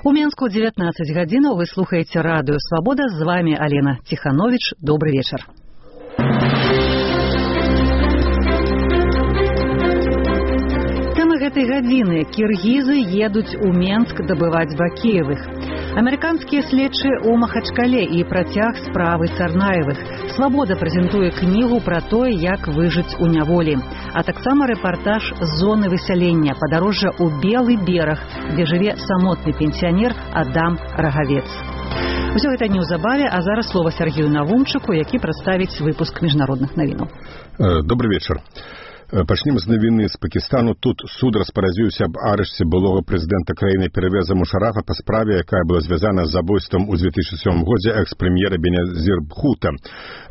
У Менску 19 гадзінаў вы слухаеце радыё «Свабода». З вами Алена Тиханович. Добрый вечер. Тэма гэтай гадзіны. Кіргізы едуць у Менск дабываць бакеевых. Амерыканскія следчыя ў Махачкале і працяг справы Царнаевых. «Свабода» прэзентуе кнігу пра тое, як выжыць у няволі. А таксама рэпартаж з зоны высялення, падарожжа ў Белы бераг, дзе жыве самотны пенсіянер Адам Рагавец. Усё гэта неўзабаве, а зараз слова Сергею Навумчыку, які прадставіць выпуск міжнародных навінаў. Добрый вечер. Пачнем з навіны з Пакістану. Тут суд распарадзіўся аб арышце былога прэзідэнта краіны Первеза Мушарафа па справе, якая была звязана з забойствам у 2007 годзе экс-прэм'ера Беназір Бхута.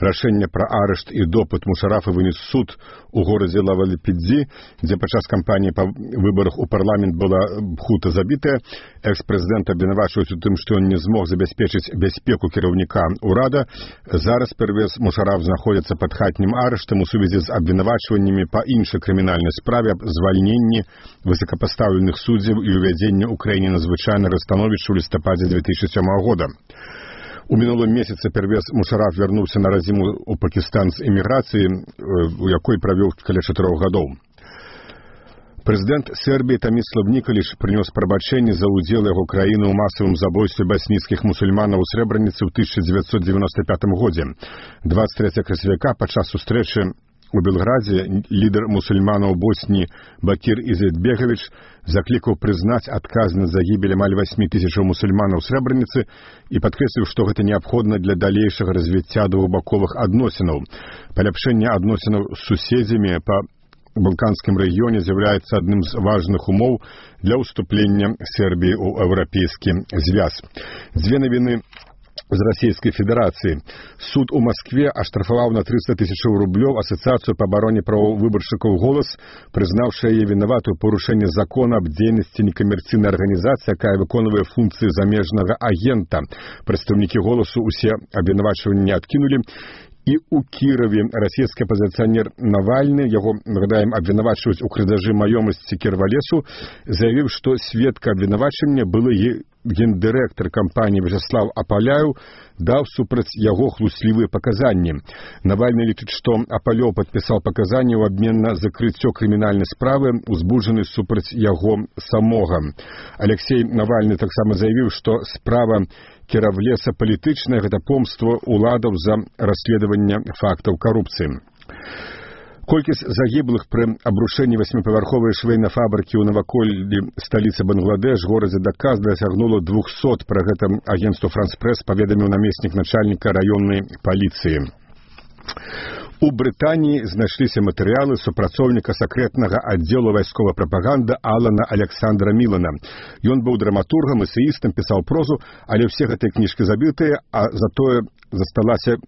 Рашэнне пра арышт і допыт Мушарафа вынес суд у горадзе Лавалпиндзи, дзе падчас кампаніі па выбарах у парламент была Бхута забітая. Экс-прэзідэнта абвінавачваюць у тым, што ён не змог забяспечыць бяспеку кіраўніка ўрада. Зараз Первез Мушараф знаходзіцца пад хатнім арыштам у сувязі з абвінавачваннямі па іншай крымінальнай справе аб звальненні высокапастаўленых суддзяў і ўвядзення ў краіне надзвычайнага становішча ў лістападзе 2007 года. У мінулым месяцы Первез Мушараф вярнуўся на радзіму ў Пакістан з эміграцыі, у якой правёў каля 4 гадоў. Прэзідэнт Сербіі Томислав Николич прынёс прабачэнне за ўдзел яго краіны ў масавым забойстве басніцкіх мусульманаў у Срэбраніцы ў 1995 годзе. 23 красавіка падчас сустрэчы у Белградзе лідар мусульманаў Босніі Бакір Изетбегович заклікаў прызнаць адказнасць за гібель амаль 8 тысячаў мусульманаў Срэбраніцы і падкрэсліў, што гэта неабходна для далейшага развіцця двухбаковых адносінаў. Паляпшэнне адносінаў з суседзямі па Балканскім рэгіёне з'яўляецца адным з важных умоў для ўступлення Сербіі ў еўрапейскі звяз. Дзве навіны з Расійскай Федэрацыі. Суд у Маскве аштрафаваў на 300 тысячаў рублёў Асацыяцыю па абароне правоў выбаршчыкаў «Голас», прызнаўшы яе вінаватую парушэнне закона аб дзейнасці некамерцыйнай арганізацыі, якая выконвае функцыі замежнага агента. Прадстаўнікі «Голасу» усе абвінавачванні адкінулі. І ў Кіраве расійскі апазіцыянер Навальны, яго, нагадаем, абвінавачваюць у крадзяжы маёмасці Кірвалесу, заявіў, што сведка абвінавачання былы гендырэктар кампаніі Вячеслав Апаляў даў супраць яго хлуслівыя паказанні. Навальны лічыць, што Апалёў падпісаў паказанні ў абмен на закрыццё крымінальнай справы, узбуджаны супраць яго самога. Алексей Навальны таксама заявіў, што справа Кіравлеса палітычная, гэта помства ўладаў за расследаванне фактаў карупцыі. Колькасць загіблых пры абрушэнні 8павярховай швейнай фабрыкі ў наваколлі сталіцы Бангладеш, горадзе Дака, дасягнула 200. Пра гэта агенцтву «Франс-Прэс» паведаміў намеснік начальніка раённай паліцыі. У Брытаніі знайшліся матэрыялы супрацоўніка сакрэтнага аддзелу вайсковай прапаганды Алана Александра Мілана. Ён быў драматургам, эсеістам, пісаў прозу, але ўсе гэтыя кніжкі забітыя, а затое засталася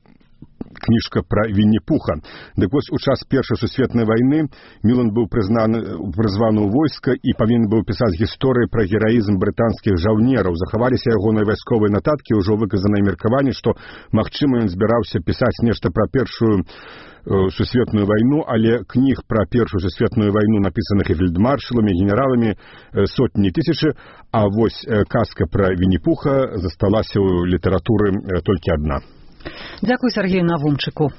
кніжка пра Вінні-Пуха. Дык вось у час Першай сусветнай вайны Мілан быў прызваны ў войска і павінен быў пісаць гісторыі пра гераізм брытанскіх жаўнераў. Захаваліся ягоныя вайсковыя нататкі, ўжо выказаныя меркаванні, што, магчыма, ён збіраўся пісаць нешта пра Першую сусветную вайну, але кніг пра Першую сусветную вайну, напісаных і фельдмаршаламі, генераламі, сотні тысячы, а вось казка пра Вінні-Пуха засталася ў літаратуры толькі адна. Дзякуй Сергею Навумчыку.